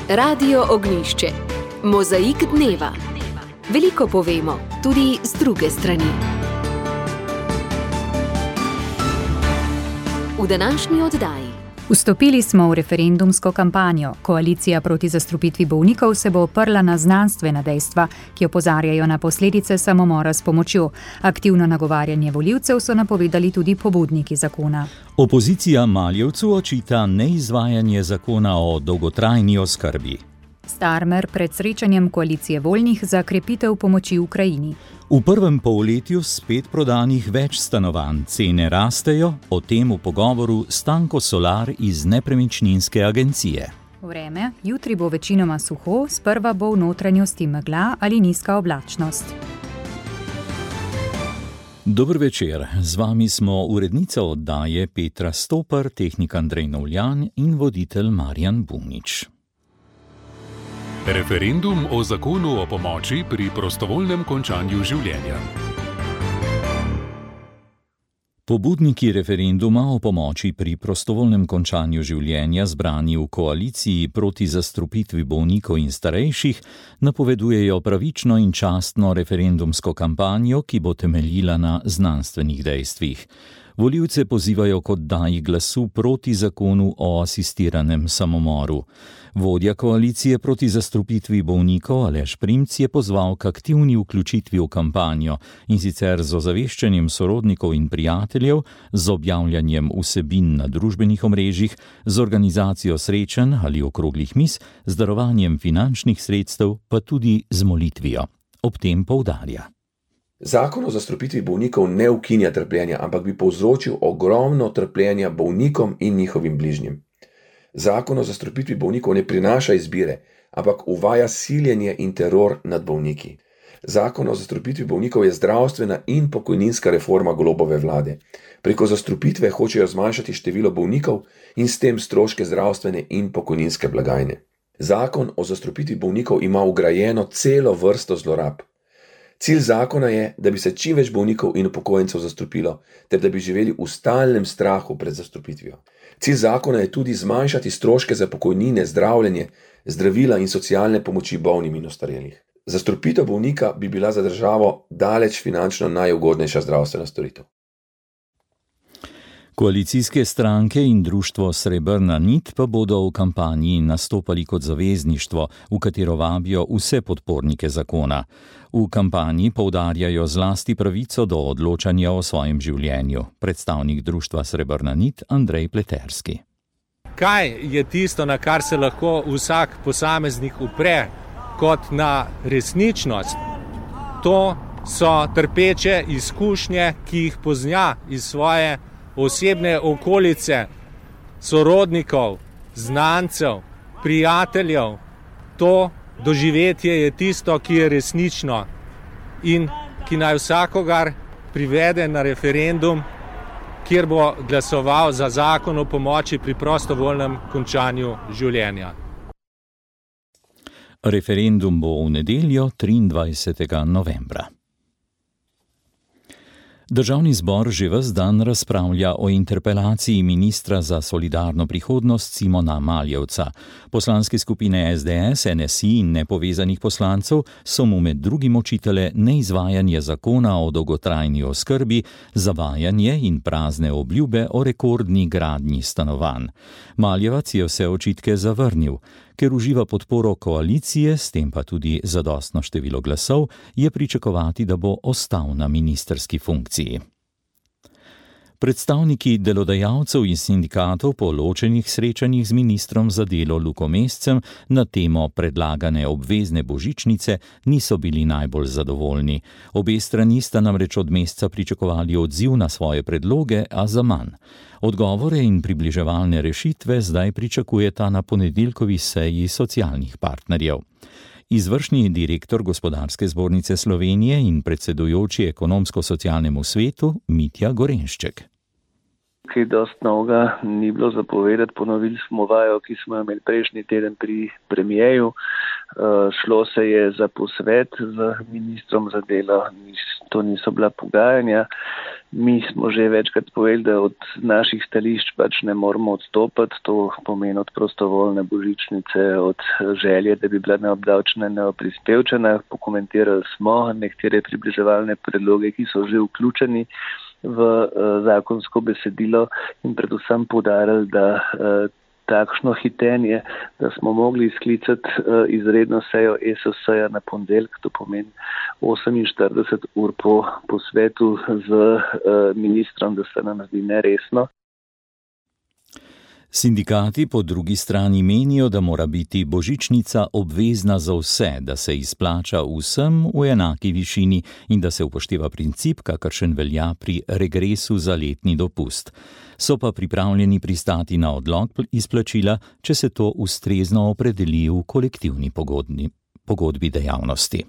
Radio Ognjišče. Mozaik dneva. Veliko povemo, tudi z druge strani. V današnji oddaji. Vstopili smo v referendumsko kampanjo. Koalicija proti zastrupitvi bolnikov se bo oprla na znanstvena dejstva, ki opozarjajo na posledice samomora s pomočjo. Aktivno nagovarjanje volivcev so napovedali tudi pobudniki zakona. Opozicija Maljevcu očita neizvajanje zakona o dolgotrajni oskrbi. Starmer pred srečanjem koalicije voljnih za krepitev pomoči Ukrajini. V prvem polletju spet prodanih več stanovanj, cene rastejo, o tem v pogovoru Stanko Solar iz Nepremičninske agencije. Vreme, jutri bo večinoma suho, sprva bo v notranjosti megla ali nizka oblačnost. Dober večer, z vami smo urednica oddaje Petra Stopar, tehnik Andrej Novljan in voditelj Marjan Bunič. Referendum o zakonu o pomoči pri prostovoljnem končanju življenja. Pobudniki referenduma o pomoči pri prostovoljnem končanju življenja, zbrani v koaliciji proti zastrupitvi bolnikov in starejših, napovedujejo pravično in častno referendumsko kampanjo, ki bo temeljila na znanstvenih dejstvih. Volivce pozivajo k oddaji glasu proti zakonu o asistiranem samomoru. Vodja koalicije proti zastrupitvi bolnikov Aleš Primc je pozval k aktivni vključitvi v kampanjo, in sicer z ozaveščanjem sorodnikov in prijateljev, z objavljanjem vsebin na družbenih omrežjih, z organizacijo srečanj ali okroglih miz, z darovanjem finančnih sredstev, pa tudi z molitvijo. Ob tem poudarja. Zakon o zastrupitvi bolnikov ne ukinja trpljenja, ampak bi povzročil ogromno trpljenja bolnikom in njihovim bližnjim. Zakon o zastrupitvi bolnikov ne prinaša izbire, ampak uvaja siljenje in teror nad bolniki. Zakon o zastrupitvi bolnikov je zdravstvena in pokojninska reforma Golobove vlade. Preko zastrupitve hočejo zmanjšati število bolnikov in s tem stroške zdravstvene in pokojninske blagajne. Zakon o zastrupitvi bolnikov ima vgrajeno celo vrsto zlorab. Cilj zakona je, da bi se čim več bolnikov in upokojencev zastrupilo, ter da bi živeli v stalnem strahu pred zastrupitvijo. Cilj zakona je tudi zmanjšati stroške za pokojnine, zdravljenje, zdravila in socialne pomoči bolnim in ostarelih. Zastrupitev bolnika bi bila za državo daleč finančno najugodnejša zdravstvena storitev. Koalicijske stranke in društvo Srebrna nit pa bodo v kampanji nastopali kot zavezništvo, v katero vabijo vse podpornike zakona. V kampanji poudarjajo zlasti pravico do odločanja o svojem življenju. Predstavnik društva Srebrna nit Andrej Pleterski. Kaj je tisto, na kar se lahko vsak posameznik upre kot na resničnost? To so trpeče izkušnje, ki jih pozna iz svoje osebne okolice, sorodnikov, znancev, prijateljev. To doživetje je tisto, ki je resnično in ki naj vsakogar privede na referendum, kjer bo glasoval za zakon o pomoči pri prostovoljnem končanju življenja. Referendum bo v nedeljo 23. novembra. Državni zbor že ves dan razpravlja o interpelaciji ministra za solidarno prihodnost Simona Maljevca. Poslanske skupine SDS, NSI in nepovezanih poslancev so mu med drugim očitale neizvajanje zakona o dolgotrajni oskrbi, zavajanje in prazne obljube o rekordni gradnji stanovanj. Maljevac je vse očitke zavrnil. Ker uživa podporo koalicije, s tem pa tudi zadostno število glasov, je pričakovati, da bo ostal na ministrski funkciji. Predstavniki delodajalcev in sindikatov po ločenih srečanjih z ministrom za delo Luko Mescem na temo predlagane obvezne božičnice niso bili najbolj zadovoljni. Obe strani sta namreč od Mesca pričakovali odziv na svoje predloge, a zaman. Odgovore in približevalne rešitve zdaj pričakujeta na ponedeljkovi seji socialnih partnerjev. Izvršni direktor Gospodarske zbornice Slovenije in predsedujoči ekonomsko-socialnemu svetu Mitja Gorenšček. Kaj dosti novega ni bilo zapovedati, ponovili smo vajo, ki smo imeli prejšnji teden pri premijeju. Šlo se je za posvet z ministrom za delo, to niso bila pogajanja. Mi smo že večkrat povedali, da od naših stališč pač ne moramo odstopiti, to pomeni od prostovoljne božičnice, od želje, da bi bila neobdavčena, neoprispevčena. Pokomentirali smo nekatere približevalne predloge, ki so že vključeni v zakonsko besedilo in predvsem poudarili, da takšno hitenje, da smo mogli sklicati izredno sejo ESS-ja na ponedeljek, to pomeni 48 ur po posvetu z ministrom, da se nam zdi neresno. Sindikati po drugi strani menijo, da mora biti božičnica obvezna za vse, da se izplača vsem v enaki višini in da se upošteva princip, kakršen velja pri regresu za letni dopust. So pa pripravljeni pristati na odlog izplačila, če se to ustrezno opredeli v kolektivni pogodbi dejavnosti.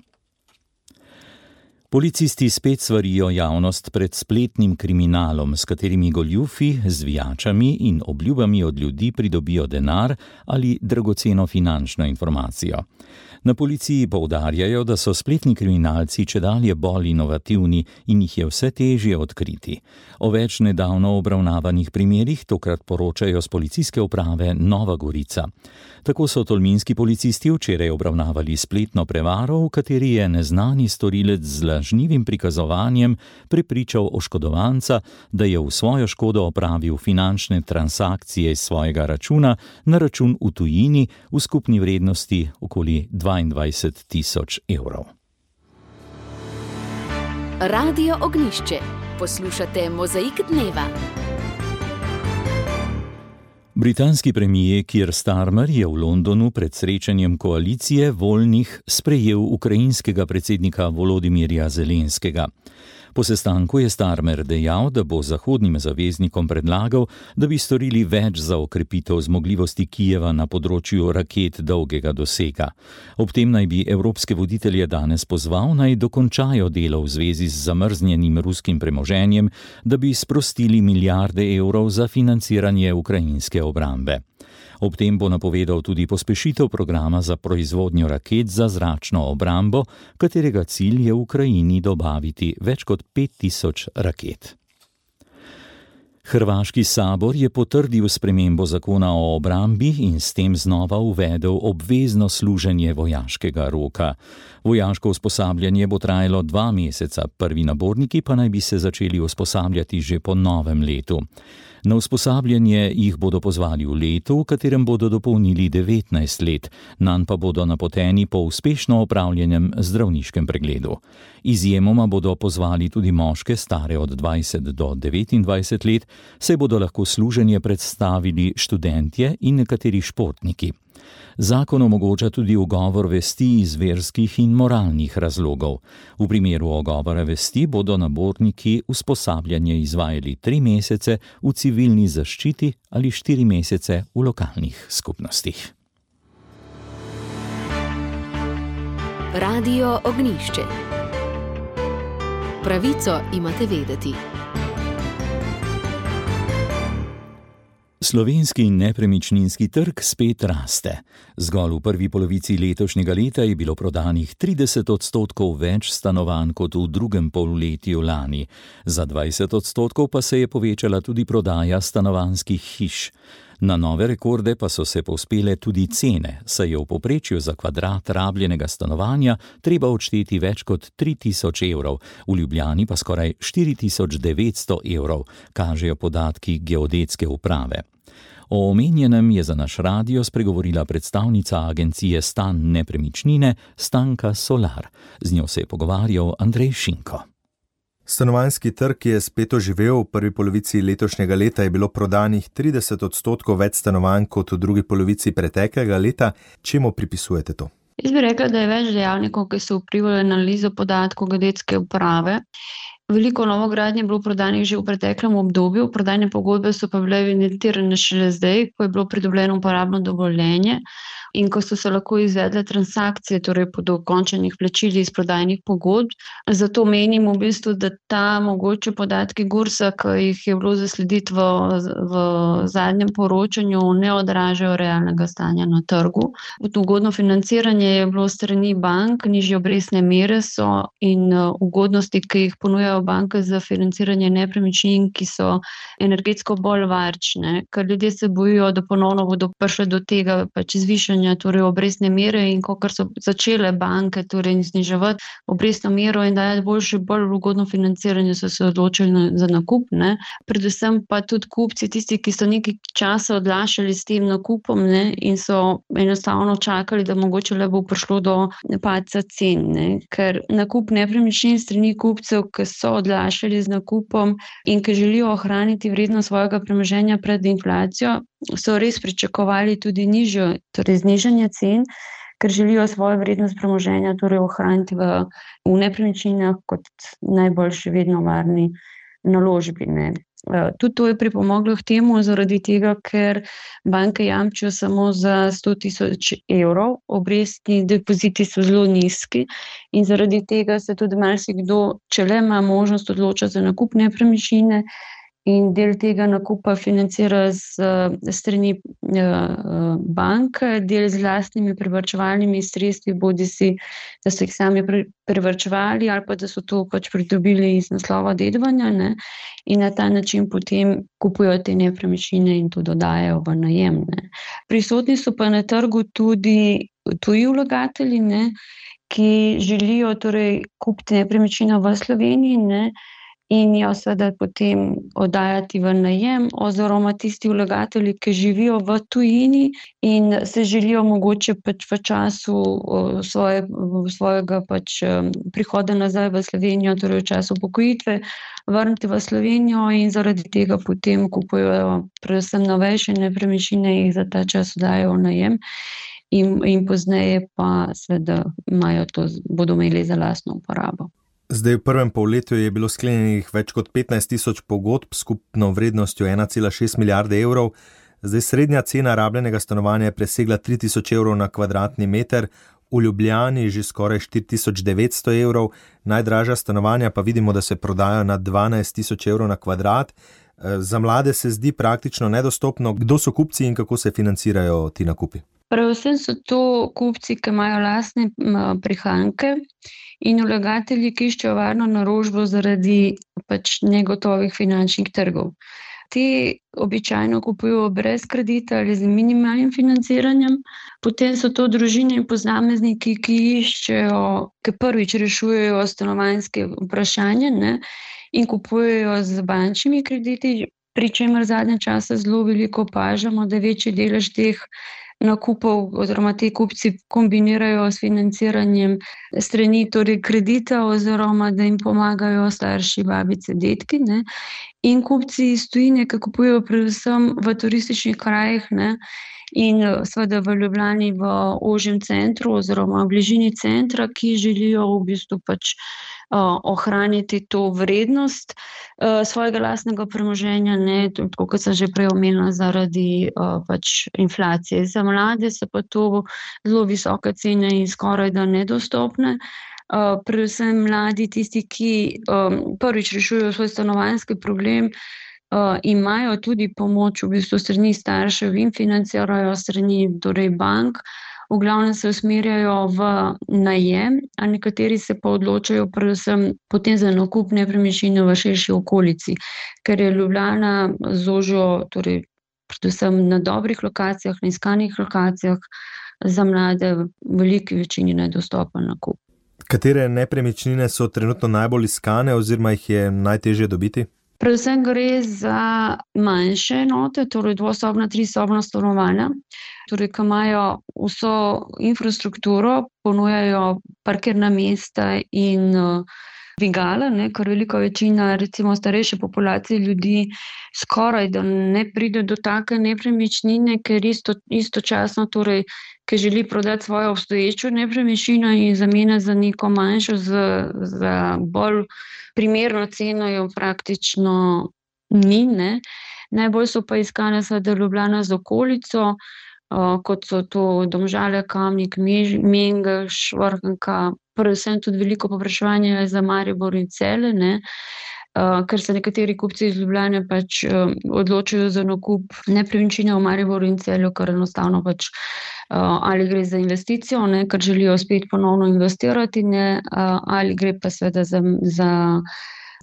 Policisti spet svarijo javnost pred spletnim kriminalom, s katerimi goljufi, zvijačami in obljubami od ljudi pridobijo denar ali dragoceno finančno informacijo. Na policiji poudarjajo, da so spletni kriminalci čedalje bolj inovativni in jih je vse težje odkriti. O več nedavno obravnavanih primerih tokrat poročajo s policijske uprave Nova Gorica. Tako so tolminski policisti včeraj obravnavali spletno prevaro, v kateri je neznani storilec z lažnivim prikazovanjem prepričal oškodovanca, da je v svojo škodo opravil finančne transakcije iz svojega računa na račun v tujini v skupni vrednosti okoli 22.000 evrov. Radio Ognjišče. Poslušate Mozaik dneva. Britanski premier Keir Starmer je v Londonu pred srečanjem koalicije voljnih sprejel ukrajinskega predsednika Volodimirja Zelenskega. Po sestanku je Starmer dejal, da bo zahodnim zaveznikom predlagal, da bi storili več za okrepitev zmogljivosti Kijeva na področju raket dolgega dosega. Ob tem naj bi evropske voditelje danes pozval, naj dokončajo delo v zvezi z zamrznjenim ruskim premoženjem, da bi sprostili milijarde evrov za financiranje ukrajinske obrambe. Ob tem bo napovedal tudi pospešitev programa za proizvodnjo raket za zračno obrambo, katerega cilj je v Ukrajini dobaviti več kot 5000 raket. Hrvaški sabor je potrdil spremembo zakona o obrambi in s tem znova uvedel obvezno služenje vojaškega roka. Vojaško usposabljanje bo trajalo 2 meseca, prvi naborniki pa naj bi se začeli usposabljati že po novem letu. Na usposabljanje jih bodo pozvali v letu, v katerem bodo dopolnili 19 let, nanj pa bodo napoteni po uspešno opravljenem zdravniškem pregledu. Izjemoma bodo pozvali tudi moške stare od 20 do 29 let, saj bodo lahko služenje predstavili študentje in nekateri športniki. Zakon omogoča tudi ugovor vesti iz verskih in moralnih razlogov. V primeru ugovora vesti bodo naborniki usposabljanje izvajali 3 mesece v civilni zaščiti ali 4 mesece v lokalnih skupnostih. Radio Ognjišče. Pravico imate vedeti. Slovenski nepremičninski trg spet raste. Zgolj v prvi polovici letošnjega leta je bilo prodanih 30% več stanovanj kot v drugem polletju lani. Za 20% pa se je povečala tudi prodaja stanovanjskih hiš. Na nove rekorde pa so se povzpele tudi cene, saj je v povprečju za kvadrat rabljenega stanovanja treba odšteti več kot 3000 evrov, v Ljubljani pa skoraj 4900 evrov, kažejo podatki geodetske uprave. O omenjenem je za naš radio spregovorila predstavnica agencije Stan nepremičnine Stanka Solar. Z njo se je pogovarjal Andrej Šinko. Stanovanjski trg je spet oživel, v prvi polovici letošnjega leta je bilo prodanih 30% več stanovanj kot v drugi polovici preteklega leta. Čemu pripisujete to? Jaz bi rekla, da je več dejavnikov, ki so vplivali na analizo podatkov geodetske uprave. Veliko novogradnje je bilo prodanih že v preteklem obdobju, prodajne pogodbe so pa bile evidentirane šele zdaj, ko je bilo pridobljeno uporabno dovoljenje. in ko so se lahko izvedle transakcije, torej po dokončanih plačilih iz prodajnih pogodb. Zato menim v bistvu, da ta mogoče podatki GURS-a, ki jih je bilo zaslediti v zadnjem poročanju, ne odražajo realnega stanja na trgu. Ugodno financiranje je bilo strani bank, nižje obrestne mere so in ugodnosti, ki jih ponujajo banke za financiranje nepremičnin, ki so energetsko bolj varčne, ker ljudje se bojijo, da ponovno bodo prišli do tega zvišanja torej obrestne mere, in ko so začele banke torej zniževati obrestno mero in dajati bolj ugodno financiranje, so se odločili za nakup, ne. Predvsem pa tudi kupci, tisti, ki so nekaj časa odlašali s tem nakupom, ne, in so enostavno čakali, da mogoče le bo prišlo do padca cen, ne. Ker nakup nepremičnin strani kupcev, ki so odlašali z nakupom in ki želijo ohraniti vrednost svojega premoženja pred inflacijo, so res pričakovali tudi nižjo, torej znižanje cen, ker želijo svojo vrednost premoženja torej ohraniti v nepremičninah kot najboljši vedno varni naložbi, ne. Tudi to je pripomoglo k temu, zaradi tega, ker banke jamčijo samo za 100.000 evrov, obrestni depoziti so zelo nizki in zaradi tega se tudi marsikdo, če le ima možnost, odloča za nakup nepremičnine in del tega nakupa financira strani banke, del z lastnimi privarčevalnimi sredstvi, bodisi da so jih sami privarčevali ali pa da so to pridobili iz naslova dedovanja, ne, in na ta način potem kupujo te nepremičnine in to dodajajo v najem, ne. Prisotni so pa na trgu tudi tuji vlagatelji, ne, ki želijo torej kupiti nepremičnino v Sloveniji, ne, in jo seveda potem oddajati v najem, oziroma tisti vlagatelji, ki živijo v tujini in se želijo mogoče v času svojega prihoda nazaj v Slovenijo, torej v času upokojitve, vrniti v Slovenijo in zaradi tega potem kupujejo predvsem novejše nepremičnine, jih za ta čas oddajajo v najem in pozneje pa seveda bodo imeli za lastno uporabo. Zdaj v prvem polletju je bilo sklenjenih več kot 15.000 pogodb s skupno vrednostjo 1,6 milijarde evrov. Zdaj srednja cena rabljenega stanovanja je presegla 3.000 evrov na kvadratni meter, v Ljubljani že skoraj 4.900 evrov, najdražja stanovanja pa vidimo, da se prodajo na 12.000 evrov na kvadrat. Za mlade se zdi praktično nedostopno. Kdo so kupci in kako se financirajo ti nakupi? Predvsem so to kupci, ki imajo lastne prihranke in vlagatelji, ki iščejo varno naložbo zaradi negotovih finančnih trgov. Ti običajno kupujo brez kredita ali z minimalnim financiranjem. Potem so to družine in posamezniki, ki iščejo, ki prvič rešujejo stanovanjske vprašanja, ne, in kupujejo z bančnimi krediti, pri čemer zadnje čase zelo veliko opažamo, da večji delež teh nakupov oziroma ti kupci kombinirajo s financiranjem strani torej kredita oziroma da jim pomagajo starši, babice, dedki, ne. In kupci iz tujine, ki kupujejo predvsem v turističnih krajih, ne, in seveda v Ljubljani v ožjem centru oziroma v bližini centra, ki želijo v bistvu ohraniti to vrednost svojega lastnega premoženja, ne, tako kot sem že prej omenila, zaradi inflacije. Za mlade so pa to zelo visoke cene in skoraj da nedostopne. Predvsem mladi, tisti, ki prvič rešujejo svoj stanovanjski problem, imajo tudi pomoč v bistvu strani staršev in financirajo strani torej bank. V glavnem se usmerjajo v najem, a nekateri se pa odločajo predvsem potem za nakup nepremičnine v širši okolici, ker je Ljubljana z ožjo, torej predvsem na dobrih lokacijah, na iskanih lokacijah, za mlade v veliki večini nedostopen nakup. Katere nepremičnine so trenutno najbolj iskane oziroma jih je najtežje dobiti? Predvsem gre za manjše enote, torej dvosobna, trisobna stanovanja, torej ki imajo vso infrastrukturo, ponujajo parkirna mesta in dvigala, ne, ker velika večina recimo starejše populacije ljudi skoraj da ne pride do take nepremičnine, ker istočasno torej, ki želi prodati svojo obstoječo nepremičnino in zamenjati za neko manjšo za bolj primerno ceno, jo praktično ni, ne. Najbolj so pa iskane seveda Ljubljana z okolico, kot so to Domžale, Kamnik, Mengeš, Vrhnika, predvsem tudi veliko povpraševanje za Maribor in Celje, ne, ker se nekateri kupci iz Ljubljane pač odločajo za nakup nepremičnine v Mariboru in Celju, ker enostavno pač ali gre za investicijo, ne, ker želijo spet ponovno investirati, ne, ali gre pa seveda za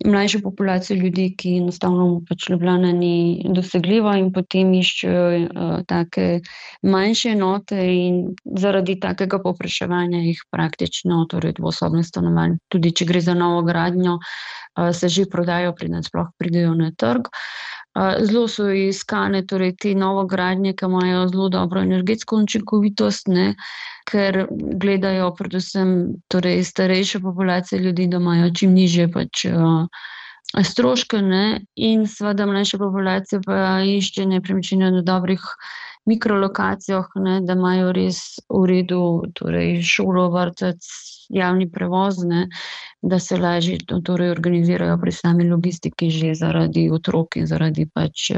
mlajšo populacijo ljudi, ki enostavno pač Ljubljana ni dosegljiva in potem iščejo take manjše enote in zaradi takega povpraševanja jih praktično, torej dvosobne stanovanja, tudi če gre za novo gradnjo, se že prodajo, preden sploh pridejo na trg. Zelo so iskane torej te novogradnje, ki imajo zelo dobro energetsko učinkovitost, ne, ker gledajo predvsem torej starejše populacije ljudi, da imajo čim nižje pač stroške, ne, in seveda mlajša populacija pa išče nepremičnine na dobrih mikrolokacijah, ne, da imajo res v redu torej šolo, vrtec, javni prevoz, ne, da se lažje torej organizirajo pri sami logistiki že zaradi otrok in zaradi pač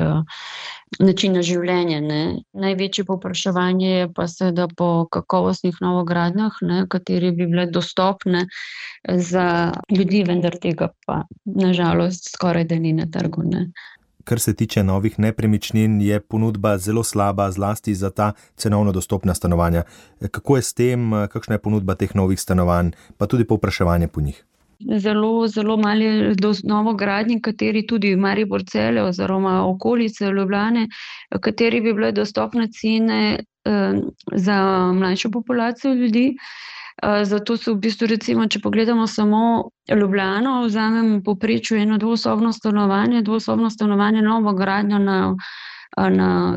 načina življenja, ne. Največje povpraševanje je pa seveda po kakovostnih novogradnjah, ne, kateri bi bile dostopne za ljudi, vendar tega pa na žalost skoraj da ni na trgu, ne. Kar se tiče novih nepremičnin, je ponudba zelo slaba, zlasti za ta cenovno dostopna stanovanja. Kako je s tem, kakšna je ponudba teh novih stanovanj, pa tudi povpraševanje po njih? Zelo malo je novogradnji, kateri tudi Maribor, Celje oziroma okolice Ljubljane, kateri bi bile dostopne cene za mlajšo populacijo ljudi. Zato so v bistvu recimo, če pogledamo samo Ljubljano, vzamem povprečju eno dvosobno stanovanje novogradnjo na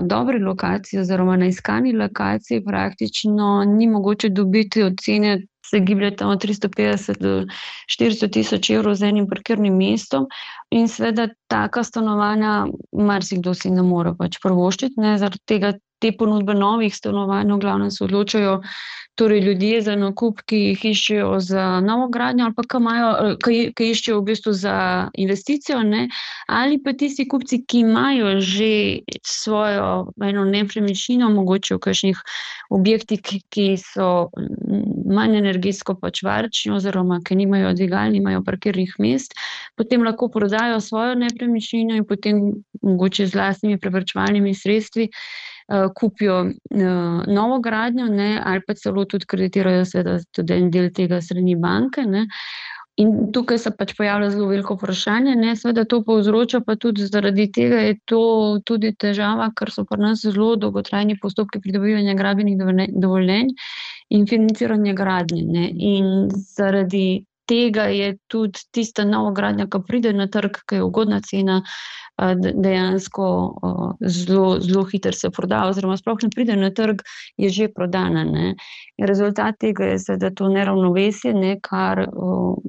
dobri lokaciji oziroma na iskani lokaciji praktično ni mogoče dobiti od cene, se giblje tam od 350 do 400 tisoč evrov z enim parkirnim mestom in seveda taka stanovanja marsikdo si ne more pač privoščiti, ne, zaradi tega te ponudbe novih stanovanj v glavnem se odločajo torej ljudje za nakup, ki jih iščejo za novogradnjo ali pa ki iščejo v bistvu za investicijo, ne, ali pa tisti kupci, ki imajo že svojo eno nepremičnino, mogoče v kakšnih objektih, ki so manj energetsko pač varčni oziroma ki nimajo dvigal, nimajo parkirnih mest, potem lahko prodajo svojo nepremičnino in potem mogoče z lastnimi prevarčevalnimi sredstvi kupijo novogradnjo, ne, ali pa celo tudi kreditirajo seveda tudi en del tega strani banke, ne. In tukaj se pač pojavlja zelo veliko vprašanje, ne, seveda to povzroča pa tudi zaradi tega je to tudi težava, ker so pri nas zelo dolgotrajni postopki pridobivanja gradbenih dovoljenj in financiranja gradnje, ne, in zaradi tega je tudi tista novogradnja, ki pride na trg, ki je ugodna cena, dejansko zelo hitro se proda oziroma sploh ne pride na trg, je že prodana, ne. Rezultat tega je seveda to neravnovesje, ne, kar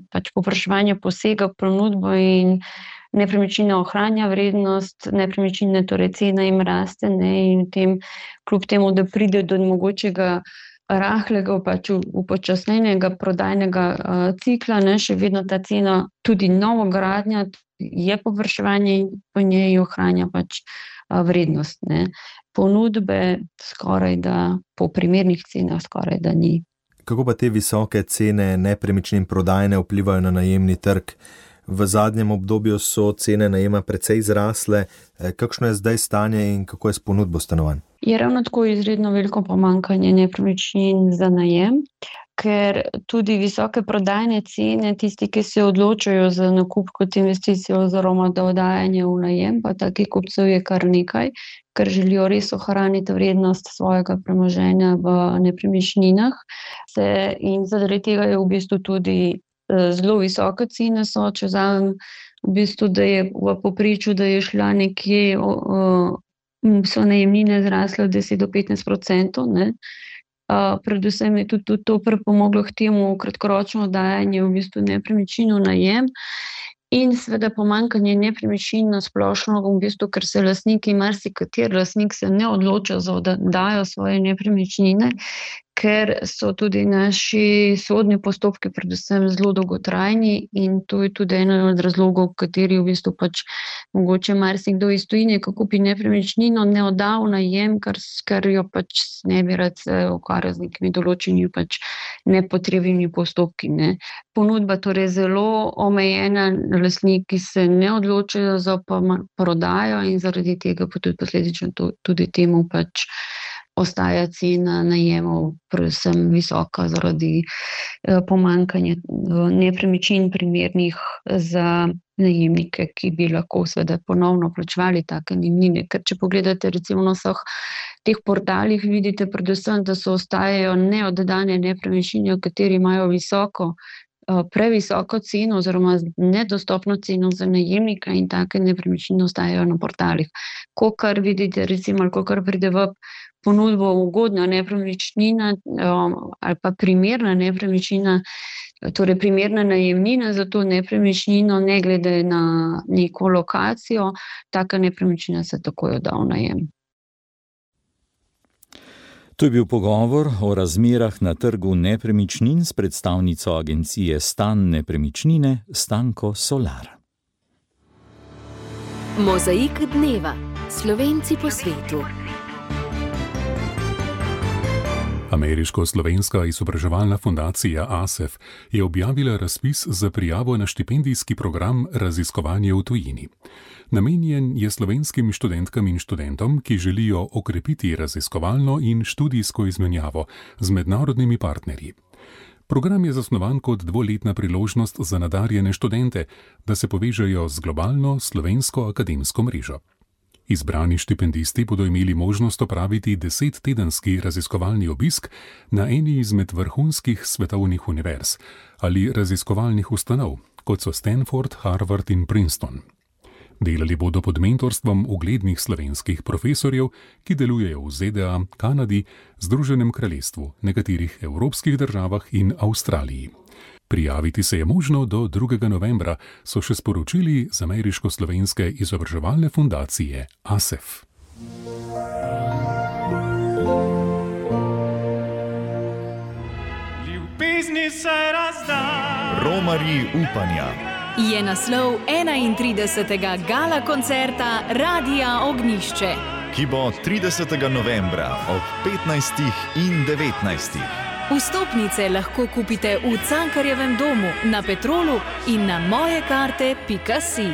pač povpraševanje posega v ponudbo in nepremičnina ohranja vrednost, nepremičnine, torej cena jim raste, ne, in tem kljub temu, da pride do mogočega rahlega pač upočasnjenega prodajnega cikla, ne, še vedno ta cena, tudi novogradnja, je povpraševanje in po njej ohranja pač vrednost, ne. Ponudbe skoraj da po primernih cenah skoraj da ni. Kako pa te visoke cene nepremičnin prodajne vplivajo na najemni trg? V zadnjem obdobju so cene najema precej zrasle. Kakšno je zdaj stanje in kako je s ponudbo stanovanj? Je ravno tako izredno veliko pomanjkanje nepremičnin za najem, ker tudi visoke prodajne cene, tisti, ki se odločajo za nakup kot investicijo oziroma da oddajanje v najem, pa takih kupcev je kar nekaj, ker želijo res ohraniti vrednost svojega premoženja v nepremičninah. In zaradi tega je v bistvu tudi zelo visoke cene so, če vzamem v bistvu, da je v povprečju, da je šla nekje, so najemnine zrasle od 10 do 15%, ne. Predvsem je tudi to pripomoglo k temu kratkoročno oddajanje v bistvu nepremičnin v najem in seveda pomanjkanje nepremičnin na splošno v bistvu, ker se lastniki, marsikateri lastnik se ne odloča za oddajo svoje nepremičnine, ker so tudi naši sodni postopki predvsem zelo dolgotrajni in to je tudi eno od razlogov, kateri v bistvu pač mogoče marsikdo iz tujine, ko kupi nepremičnino, ne odda v najem, ker jo pač ne bi rad se ukvarjal z nekimi določenimi pač nepotrebnimi postopki, ne. Ponudba torej zelo omejena, lastniki se ne odločajo za prodajo in zaradi tega pa tudi posledično tudi temu pač ostaja cena najemov predvsem visoka zaradi pomanjkanja nepremičnin primernih za najemnike, ki bi lahko seveda ponovno plačevali take najemnine. Ker če pogledate recimo na vseh teh portalih, vidite predvsem, da so ostajajo neoddane nepremičnine, v kateri imajo previsoko ceno oziroma nedostopno ceno za najemnika in take nepremičnine ostajajo na portalih. Kakor vidite recimo, kakor pride v ponudbo ugodna nepremičnina ali pa primerna nepremičnina, torej primerna najemnina za to nepremičnino, ne glede na neko lokacijo, taka nepremičnina se takoj odda v najem. To je bil pogovor o razmerah na trgu nepremičnin s predstavnico agencije Stan Nepremičnine Stanko Solar. Mozaik dneva. Slovenci po svetu. Ameriško-slovenska izobraževalna fundacija ASEF je objavila razpis za prijavo na štipendijski program Raziskovanje v tujini. Namenjen je slovenskim študentkam in študentom, ki želijo okrepiti raziskovalno in študijsko izmenjavo z mednarodnimi partnerji. Program je zasnovan kot 2-letna priložnost za nadarjene študente, da se povežejo z globalno slovensko akademsko mrežo. Izbrani štipendisti bodo imeli možnost opraviti 10-tedenski raziskovalni obisk na eni izmed vrhunskih svetovnih univerz ali raziskovalnih ustanov, kot so Stanford, Harvard in Princeton. Delali bodo pod mentorstvom uglednih slovenskih profesorjev, ki delujejo v ZDA, Kanadi, Združenem kraljestvu, nekaterih evropskih državah in Avstraliji. Prijaviti se je možno do 2. novembra, so še sporočili z Ameriško-slovenske izobraževalne fundacije ASEF. Ljubezni se razda. Romarji upanja. Je naslov 31. gala koncerta Radia Ognjišče, ki bo 30. novembra ob 15. in 19. Vstopnice lahko kupite v Cankarjevem domu, na Petrolu in na mojekarte.si.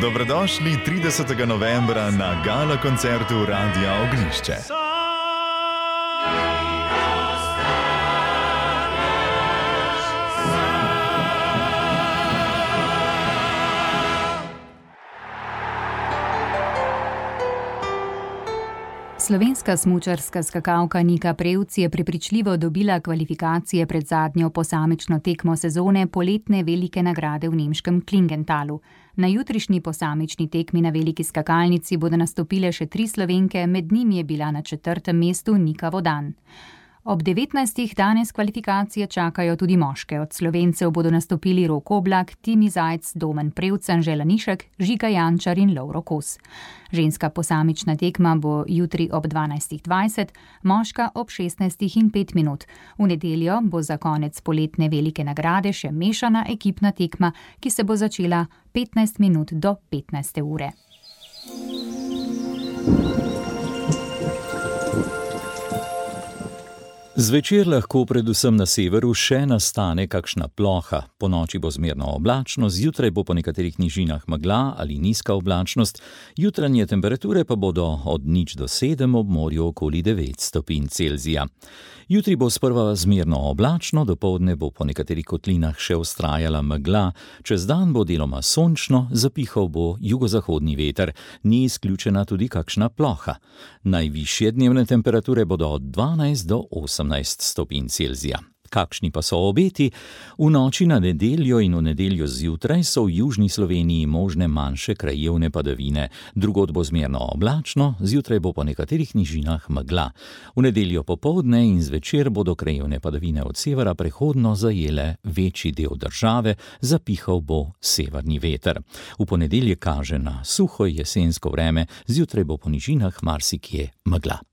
Dobrodošli 30. novembra na gala koncertu Radia Ognjišče. Slovenska smučarska skakalka Nika Prevc je prepričljivo dobila kvalifikacije pred zadnjo posamično tekmo sezone poletne velike nagrade v nemškem Klingentalu. Na jutrišnji posamični tekmi na veliki skakalnici bodo nastopile še 3 Slovenke, med njimi je bila na 4. mestu Nika Vodan. Ob 19. danes kvalifikacije čakajo tudi moške. Od Slovencev bodo nastopili Rok Oblak, Timi Zajc, Domen Prevc, Anžela Nišek, Žiga Jančar in Lovro Kos. Ženska posamična tekma bo jutri ob 12.20, moška ob 16:05. V nedeljo bo za konec poletne velike nagrade še mešana ekipna tekma, ki se bo začela 15 minut do 15. ure. Zvečer lahko predvsem na severu še nastane kakšna ploha. Ponoči bo zmerno oblačno, zjutraj bo po nekaterih nižinah megla ali nizka oblačnost, jutranje temperature pa bodo od 0 do 7, ob morju okoli 9 stopinj Celzija. Jutri bo sprva zmerno oblačno, dopoldne bo po nekaterih kotlinah še vztrajala megla, čez dan bo deloma sončno, zapihal bo jugozahodni veter, ni izključena tudi kakšna ploha. Najvišje dnevne temperature bodo od 12 do 18 stopinj Celzija. Kakšni pa so obeti? V noči na nedeljo in v nedeljo zjutraj so v južni Sloveniji možne manjše krajevne padavine. Drugod bo zmerno oblačno, zjutraj bo po nekaterih nižinah megla. V nedeljo popoldne in zvečer bodo krajevne padavine od severa prehodno zajele večji del države, zapihal bo severni veter. V ponedeljek kaže na suho jesensko vreme, zjutraj bo po nižinah marsikje megla.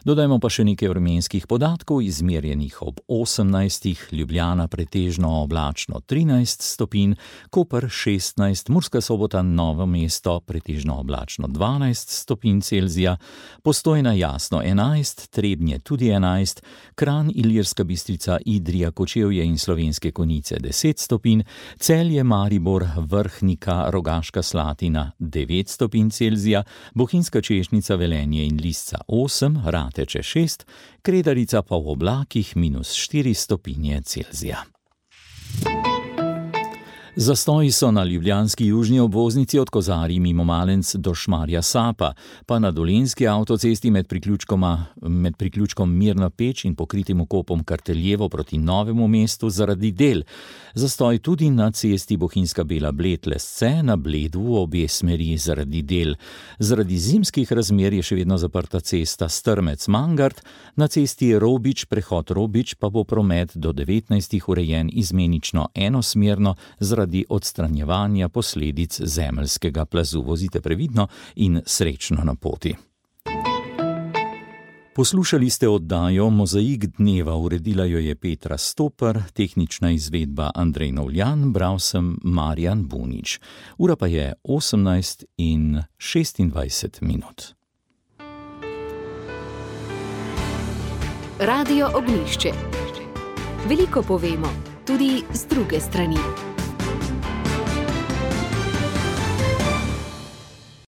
Dodajmo pa še nekaj vremenskih podatkov, izmerjenih ob 18, Ljubljana pretežno oblačno 13 stopinj, Koper 16, Murska Sobota, Novo mesto pretežno oblačno 12 stopinj Celzija, Postojna jasno 11, Trebnje tudi 11, Kranj, Ilirska Bistrica, Idrija, Kočevje in Slovenske Konjice 10 stopinj, Celje, Maribor, Vrhnika, Rogaška Slatina 9 stopinj Celzija, Bohinjska Češnica, Velenje in Lisca 8, Rateče 6, Kredarica pa v oblakih -4 stopinje Celzija. Zastoji so na ljubljanski južni obvoznici od Kozarij mimo Malenc do Šmarja Sapa, pa na dolenjski avtocesti med priključkom Mirna Peč in pokritim vkopom Karteljevo proti Novemu mestu zaradi del. Zastoj tudi na cesti Bohinjska Bela Bled-Lesce na Bledu v obe smeri zaradi del. Zaradi zimskih razmer je še vedno zaprta cesta Strmec-Mangart, na cesti Robič, prehod Robič pa bo promet do 19. urejen izmenično enosmerno zaradi odstranjevanja posledic zemeljskega plazu. Vozite previdno in srečno na poti. Poslušali ste oddajo Mozaik dneva, uredila jo je Petra Stopar, tehnična izvedba Andrej Novljan, bral sem Marjan Bunič. Ura pa je 18:26. Radio Ognjišče. Veliko povemo, tudi z druge strani.